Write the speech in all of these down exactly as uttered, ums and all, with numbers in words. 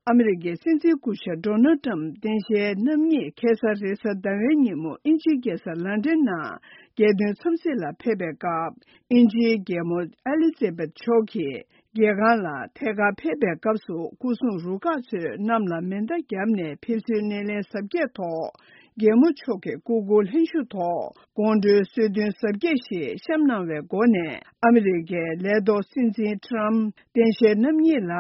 ཨ་མི་རི་ཀའི་སྲིད་འཛིན་སྐུ་ཞབས་ཌོ་ནལ་ཊམ་སྟངས་དཔྱལ་རྣམ་གཉིས་ཁ་སང་རེས་གཟའ་ཟླ་བའི་ཉིན་མོ་དབྱིན་ཇིའི་རྒྱལ་ས་ལན་ཌན་ནང་རྒྱལ་དོན་འཚམས་གཟིགས་ལ་ཕེབས་པའི་སྐབས། དབྱིན་ཇིའི་རྒྱལ་མོ་ཨེ་ལི་ཛེ་བེད་མཆོག་གིས་རྒྱལ་ཁང་ལ་ཐད་ཀར་ཕེབས་པའི་སྐབས་སུ། སྐུ་སྲུང་རུ་ཁག་ཚོས་གནམ་ལ་མེ་མདའ་བརྒྱབ་ནས་ཕེབས་བསུའི་སྣེ་ལེན་གཟབ་རྒྱས་ཐོག་རྒྱལ་མོ་མཆོག་གི་སྐུ་འཁོར་ལྷན་བཞུགས་ཐོག་དགོང་དྲོའི་གསོལ་སྟོན་གཟབ་རྒྱས་ཤིག་བཤམས་གནང་བའི་སྒོ་ནས། ཨ་མི་རི་ཀའི་ལས་ཐོག་སྲིད་འཛིན་ཊམ་སྟངས་དཔྱལ་རྣམ་གཉིས་ལ་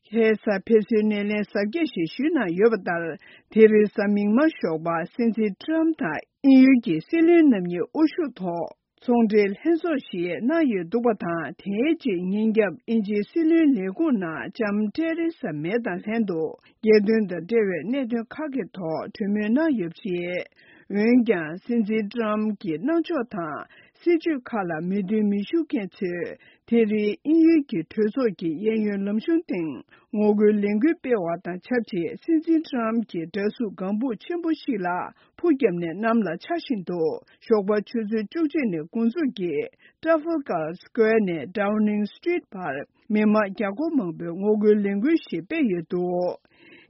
ཁ་སང་ཕེབས་བསུའི་སྣེ་ལེན་གཟབ་རྒྱས་ཤིག་ཞུས་གནང་ཡོད་པ་ལྟར། དེ་རིང་གཟའ་མིག་དམར་ཞོགས་པ་སྲིད་འཛིན་ཊམ་དང་དབྱིན་ཡུལ་གྱི་སྲིད་བློན་རྣམ་གཉིས་དབུ་བཞུགས་ཐོག་ཚོང་འབྲེལ་ལྷན་ཚོགས་ཤིག་གནང་ཡོད་འདུག་པ་དང་། དེའི་རྗེས་ཉིན་རྒྱབ་དབྱིན་ཇིའི་སྲིད་བློན་ལས་ཁུངས་ནང་ལྕམ་ཏེ་རེ་ས་མེ་དང་ལྷན་དུ་རྒྱལ་དོན་དང་འབྲེལ་བའི་གནད་དོན་ཁག་གི་ཐོག་གྲོས་མོལ་གནང་ཡོད་པ་རེད། འོན་ཀྱང་སྲིད་འཛིན་ཊམ་གྱི་གནང་ཕྱོགས་དང་སྲིད་བྱུས་ཁག་ལ་མོས་མཐུན་མི་ཞུ་མཁན་ཚོས། དེ་རིང་དབྱིན་ཡུལ་གྱི་གྲོས་ཚོགས་ཀྱི་གཡས་གཡོན་ལམ་གཞུང་སྟེང་ངོ་རྒོལ་ལས་འགུལ་སྤེལ་བ་དང་ཆབས་ཅིག་སྲིད་འཛིན་ཊམ་གྱི་འདྲ་གཟུགས་ལྒང་བུ་ཆེན་པོ་ཞིག་ལ་ཕུ་བརྒྱབ་ནས་གནམ་ལ་འཕྱར་བཞིན་འདུག་ཞོགས་པ་ཆུ་ཚོད་བཅུ་གཅིག་ནས་འགོ་འཛུགས་ཀྱིས་ཊ་ཧྥལ་གྷར་སི་ཀོ་ཝེར་ནས་ཌའོ་ནིང་སི་ཊི་རིཊ་བར་མི་མང་བརྒྱ་སྐོར་མང་པོས་ངོ་རྒོལ་ལས་འགུལ་ཞིག་སྤེལ་ཡོད་འདུག་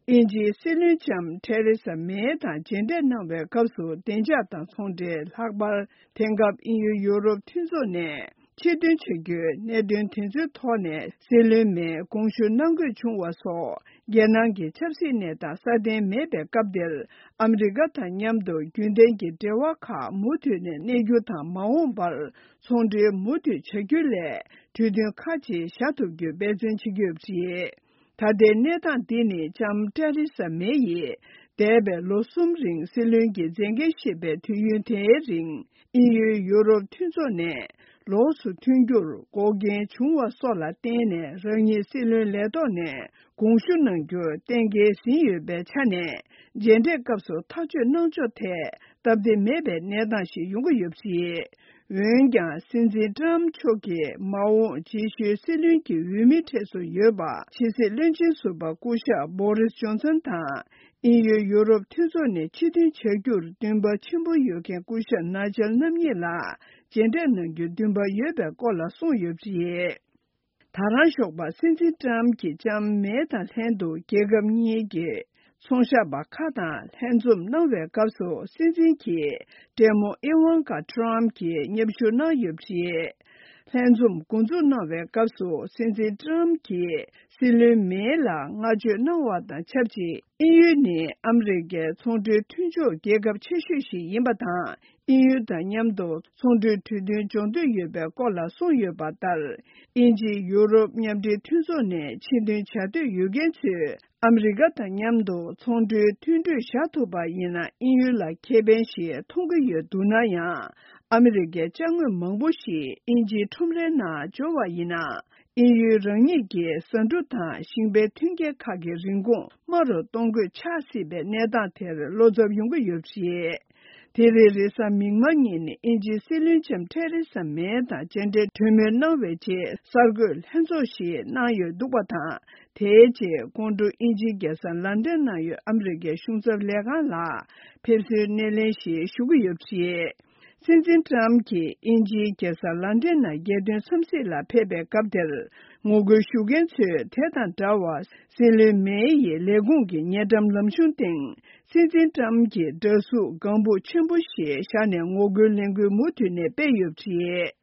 དབྱིན་ཇིའི་སྲིད་བློན་ལྕམ་ཐེ་རེ་ས་མེ་དང་མཇལ་འཕྲད་གནང་བའི་སྐབས་སུ། བདེ་འཇགས་དང་ཚོང་འབྲེལ། ལྷག་པར་དེང་སྐབས་དབྱིན་ཡུལ་ཡུ་རོབ་མཐུན་ཚོགས་ནས་ཕྱིར་འདོན་བྱ་རྒྱུའི་གནད་དོན་དེ་ཚོའི་ཐོག་ནས་སྲིད་བློན་མེས་དགོངས་ཞུ་གནང་དགོས་བྱུང་བ་སོགས། རྒྱལ་ནང་གི་ཆབ་སྲིད་གནས་སྟངས་སྲ་བརྟན་མེད་པའི་སྐབས་འདིར། ཨ་མི་རི་ཀ་དང་མཉམ་དུ་རྒྱུན་ལྡན་གྱི་འབྲེལ་བ་ཁག་མུ་མཐུད་ནས་གནས་རྒྱུ་དང་། མ་འོངས་པར་ཚོང་འབྲེལ་མུ་མཐུད་བྱ་རྒྱུ་ལས། གྲོས་མཐུན་ཁག་ཅིག་བཞག་ཐུབ་རྒྱུའི་འབད་བརྩོན་བྱེད་ཀྱི་ཡོད་པ་རེད། ད་ལྟའི་གནས་སྟངས་འདི་ནི་ལྕམ་ཏེ་རེ་ས་མེ་ཡིས་འདས་པའི་ལོ་གསུམ་རིང་སྲིད་བློན་གྱི་མཛད་འགན་བཞེས་པའི་དུས་ཡུན་དེའི་རིང་། དབྱིན་ཡུལ་ཡུ་རོབ་མཐུན་ཚོགས་ནས་ལོགས་སུ་ཐོན་རྒྱུར་འགོག་རྐྱེན་བྱུང་བ་སོགས་ལ་བརྟེན་ནས། རང་ཉིད་སྲིད་བློན་ལས་ཐོག་ནས་དགོངས་ཞུ་གནང་རྒྱུར་གཏན་འཁེལ་ཟིན་ཡོད་པའི་ཆ་ནས། མཇལ་འཕྲད་སྐབས་སུ་ཐག་གཅོད་གནང་ཕྱོགས་ཐད་སྟབས་བདེ་མེད་པའི་གནས་སྟངས་ཤིག་ཡོང་གི་ཡོད་པ་རེད། འོན་ཀྱང་། སྲིད་འཛིན་ཊམ་མཆོག་གིས་མ་འོངས་རྗེས་ཤུལ་སྲིད་བློན་གྱི་འོས་མིའི་གྲས་སུ་ཡོད་པ། ཕྱི་སྲིད་བློན་ཆེན་ཟུར་པ་སྐུ་ཞབས་བོ་རིས་ཇོན་སན་དང་། དབྱིན་ཡུལ་ཡུ་རོབ་མཐུན་ཚོགས་ནས་ཕྱིར་འཐེན་བྱ་རྒྱུར་འདུན་པ་ཆེན་པོ་ཡོད་མཁན་སྐུ་ཞབས་ནཱི་ཇལ་རྣམ་གཉིས་ལ་མཇལ་འཕྲད་གནང་རྒྱུའི་འདུན་པ་ཡོད་པའི་སྐོར་ལ་གསུངས་ཡོད་པ་རེད། ད་རང་ཞོགས་པ་སྲིད་འཛིན་ཊམ་གྱིས་ལྕམ་མེ་དང་ལྷན་དུ་རྒྱལ་ཁབ་གཉིས་ཀྱི་ཚོང་ཞབས་པ་ཁག་དང་ལྷན་འཛོམས་གནང་བའི་སྐབས་སུ། སྲིད་འཛིན་གྱི་བགྲེས་མོ་ཨི་ཝན་ཀ་ཊམ་གྱིས་མཉམ་ཞུགས་གནང་ཡོད་པ་རེད། ལྷན་འཛོམས་འགོ་འཛུགས་གནང་བའི་སྐབས་སུ། སྲིད་འཛིན་ཊམ་གྱིས་སྲིད་བློན་མེ་ལ་བསྔགས་བརྗོད་གནང་བ་དང་ཆབས་ཅིག་དབྱིན་ཡུལ་ནི་ཨ་མི་རི་ཀའི་ཚོང་འབྲེལ་མཐུན་ཕྱོགས་རྒྱལ་ཁབ་ཆེ་ཤོས་ཤིག་ཡིན་པ་དང་། དབྱིན་ཡུལ་དང་མཉམ་དུ་ཚོང་འབྲེལ་གྲོས་མཐུན་སྦྱོང་འདོད་ཡོད་པའི་སྐོར་ལ་གསུངས་ཡོད་པ་ལྟར། དབྱིན་ཇི་ཡུ་རོབ་མཉམ་འབྲེལ་མཐུན་ཚོགས་ནས་ཕྱིར་འདོན་བྱ་འདོད་ཡོད་མཁན་ཚོས། ཨ་མི་རི་ཀ་དང་མཉམ་དུ་ཚོང་འབྲེལ་མཐུན་གྲོས་བཞག་ཐུབ་པ་ཡིན་ན། དབྱིན་ཡུལ་ལ་ཁེ་ཕན་ཞིག་མཐོང་གི་ཡོད་འདུག་ན་ཡང་། ཨ་མི་རི་ཀའི་ཅ་དངོས་མང་པོ་ཞིག་དབྱིན་ཇིའི་ཁྲོམ་རའི་ནང་འབྱོར་བ་ཡིན་ན། དབྱིན་ཡུལ་རང་ཉིད་ཀྱི་ཟ་འབྲུ་དང་ཞིང་པའི་ཐོན་སྐྱེད་ཁག་གི་རིན་གོང་དམའ་རུ་གཏོང་དགོས་ཆགས་སྲིད་པའི་གནས་སྟངས་དེར་བློ་འཚབ་ཡོང་གི་ཡོད་པ་རེད། དེ་རིང་རེས་གཟའ་མིག་དམར་ཉིན་དབྱིན་ཇིའི་སྲིད་བློན་ལྕམ་ཐེ་རེ་ས་མེ་དང་མཇལ་འཕྲད་གྲོས་མོལ་གནང་བའི་རྗེས། གསར་འགོད་ལྷན་ཚོགས་ཤིག་གནང་ཡོད་འདུག་པ་དང་། དེའི་རྗེས་དགོང་དྲོ་དབྱིན་ཇིའི་རྒྱལ་ས་ལན་ཌན་ནང་ཡོད་ཨ་མི་རི་ཀའི་གཞུང་ཚབ་ལས་ཁང་ལ་ཕེབས་བསུའི་སྣེ་ལེན་ཞིག་ཞུ་གི་ཡོད་པ་རེད། སྲིད་འཛིན་ཊམ་གྱིས་དབྱིན་ཇིའི་རྒྱལ་ས་ལན་ཌན་ནང་རྒྱལ་དོན་འཚམས་གཟིགས་ལ་ཕེབས་པའི་སྐབས་དེར། ངོ་རྒོལ་ཞུ་མཁན་ཚོས་དེ་དང་འདྲ་བར། སྲིད་བློན་མེ་ཡི་ལས་ཁུངས་ཀྱི་ཉེ་འགྲམ་ལམ་གཞུང་སྟེང་། སྲིད་འཛིན་ཊམ་གྱི་འདྲ་གཟུགས་ལྒང་བུ་ཆེན་པོ་ཞིག་བཞག་ནས་ངོ་རྒོལ་ལས་འགུལ་མུ་མཐུད་ནས་སྤེལ་ཡོད་པ་རེད།